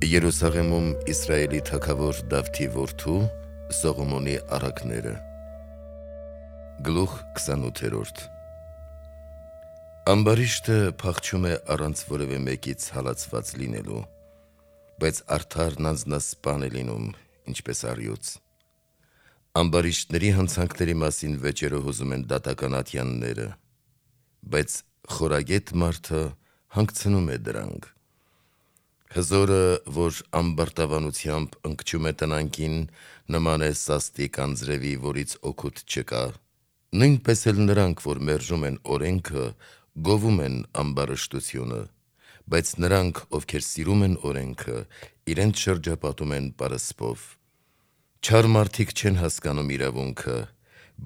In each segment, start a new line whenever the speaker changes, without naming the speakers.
Երուսաղեմում Իսրայելի թագավոր Դավթի որդու Սողոմոնի առակները։ Գլուխ 28 Ամբարիշտը փախչում է առանց որևէ մեկից հալածված լինելու, բայց արդարն անձնասպան է լինում, ինչպես առյուծ։ Ամբարիշտների հանցանքների մասին վեճերը հուզում են դատական ատյանները, բայց խորագետ մարդը հանգցնում է դրանք։ Հզորը, որ ամբարտավանությամբ ընկճում է տնանքին, նման է սաստիկ անձրևի, որից օգուտ չկա։ Նույնպես էլ նրանք, որ մերժում են օրենքը, գովում են ամբարշտությունը, բայց նրանք, ովքեր սիրում են օրենքը, իրենց շրջապատում են պարսպով։ Չար մարդիկ չեն հասկանում իրավունքը,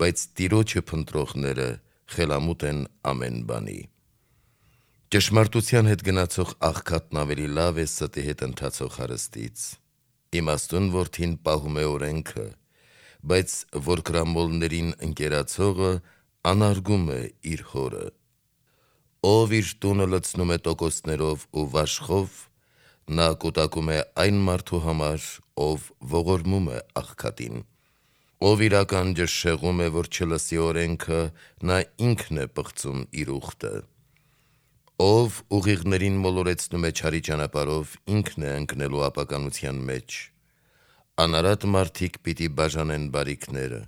բայց Տիրոջը փնտրողները խելամուտ են ամեն բանի։ Ճշմարտության հետ գնացող աղքատն ավելի լավ է ստի հետ ընթացող հարստից։ Իմաստուն որդին պահում է օրենքը, բայց որկրամոլներին ընկերացողը անարգում է իր հորը։ Ով իր տունը լցնում է տոկոսներով ու վաշխով, նա կուտակում է այն մարդու համար, ով ողորմում է աղքատին։ Ով իր ականջը շեղում է, որ չլսի օրենքը, նա ինքն է պղծում իր ուխտը։ Ով ուղիղներին մոլորեցնում է չարի ճանապարհով, ինքն է ընկնելու ապականության մեջ։ Անարատ մարդիկ պիտի բաժանեն բարիքները,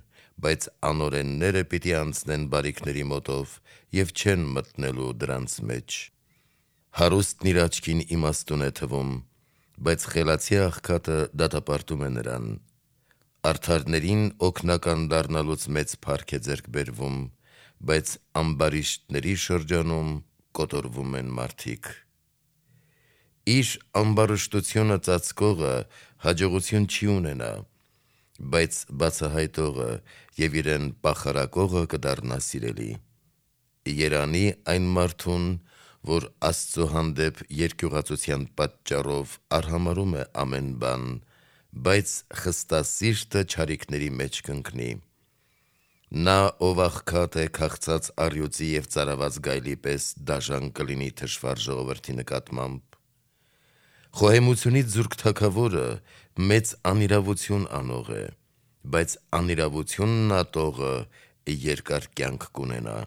բայց անօրենները պիտի անցնեն բարիքների մոտով և չեն մտնելու դրանց մեջ։ Հարուստն իր աչքին իմաստուն է թվում, բայց խելացի աղքատը դատապարտում է նրան։ Արդարներին օգնական դառնալուց մեծ փառք է ձեռք բերվում, բայց ամբարիշտների շրջանում կոտորվում են մարդիկ։ Իր ամբարշտությունը ծածկողը հաջողություն չի ունենա, բայց բացահայտողը և իրեն պախարակողը կդառնա սիրելի։ Երանի այն մարդուն, որ Աստծո հանդեպ երկյուղածության պատճառով արհամարհում է ամեն բան, բայց խստասիրտը չարիքների մեջ կընկնի։ Նա, ով աղքատ է, քաղցած առյուծի և ծարաված գայլի պես դաժան կլինի թշվառ ժողովրդի նկատմամբ։ Խոհեմությունից զուրկ թագավորը մեծ անիրավություն անող է, բայց անիրավությունն ատողը երկար կյանք կունենա։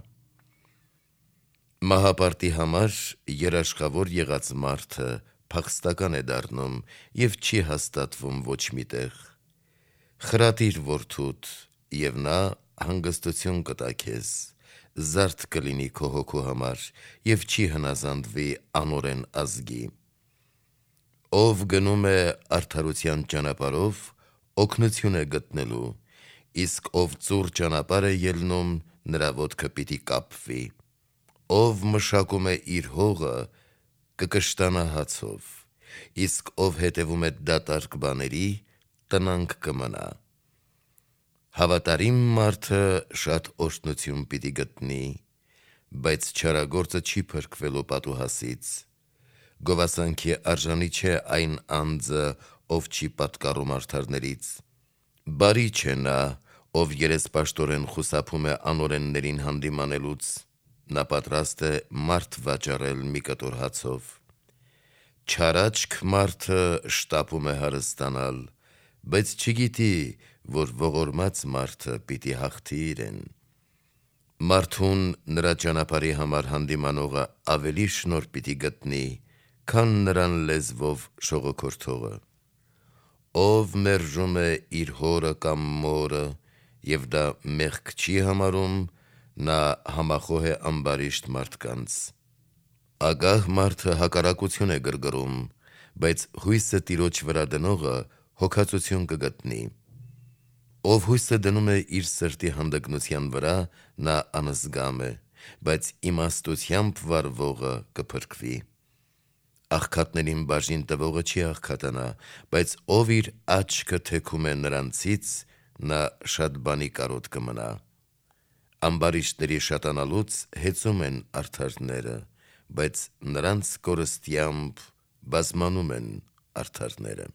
Մահապարտի համար երաշխավոր եղած մարդը փախստական է դառնում և չի հաստատվում ոչ մի տեղ։ Խրատիր որդուդ, և նա հանգստություն կտա քեզ, զարդ կլինի քո հոգու համար և չի հնազանդվի անօրեն ազգի։ Ով գնում է արդարության ճանապարհով, օգնություն է գտնելու, իսկ ով ծուռ ճանապարհ է ելնում, նրա ոտքը պիտի կապվի։ Ով մշակում է իր հողը, կկշտանա հացով, իսկ ով հետևում է դատարկ բաների, տնանք կմնա։ Հավատարիմ մարդը շատ օրհնություն պիտի գտնի, բայց չարագործը չի փրկվելու պատուհասից։ Գովասանքի արժանի չէ այն անձը, ով չի պատկառում արդարներից։ Բարի չէ նա, ով երեսպաշտորեն խուսափում է անօրեններին հանդիմանելուց, նա պատրաստ է մարդ վաճառել մի կտոր հացով։ Չարաչք մարդը շտապում է հարստանալ, բայց չգիտի, որ ողորմած մարդը պիտի հաղթի իրեն։ Մարդուն նրա ճանապարհի համար հանդիմանողը ավելի շնորհ պիտի գտնի, քան նրան լեզվով շողոքորթողը։ Ով մերժում է իր հորը կամ մորը, և դա մեղք չի համարում, նա համախոհ է ամբարիշտ մարդկանց։ Ագահ մարդը հակառակություն է գրգռում, բայց հույսը Տիրոջ վրա դնողը հոգածություն կգտնի։ Ով հույսը դնում է իր սրտի հանդգնության վրա, նա անզգամ է, բայց իմաստությամբ վարվողը կփրկվի։ Աղքատներին բաժին տվողը չի աղքատանա, բայց ով իր աչքը թեքում է նրանցից, նա շատ բանի կարոտ կմնա։ Ամբարիշտների շատանալուց հեծում են արդարները, բայց նրանց կորստյամբ բազմանում են արդարները։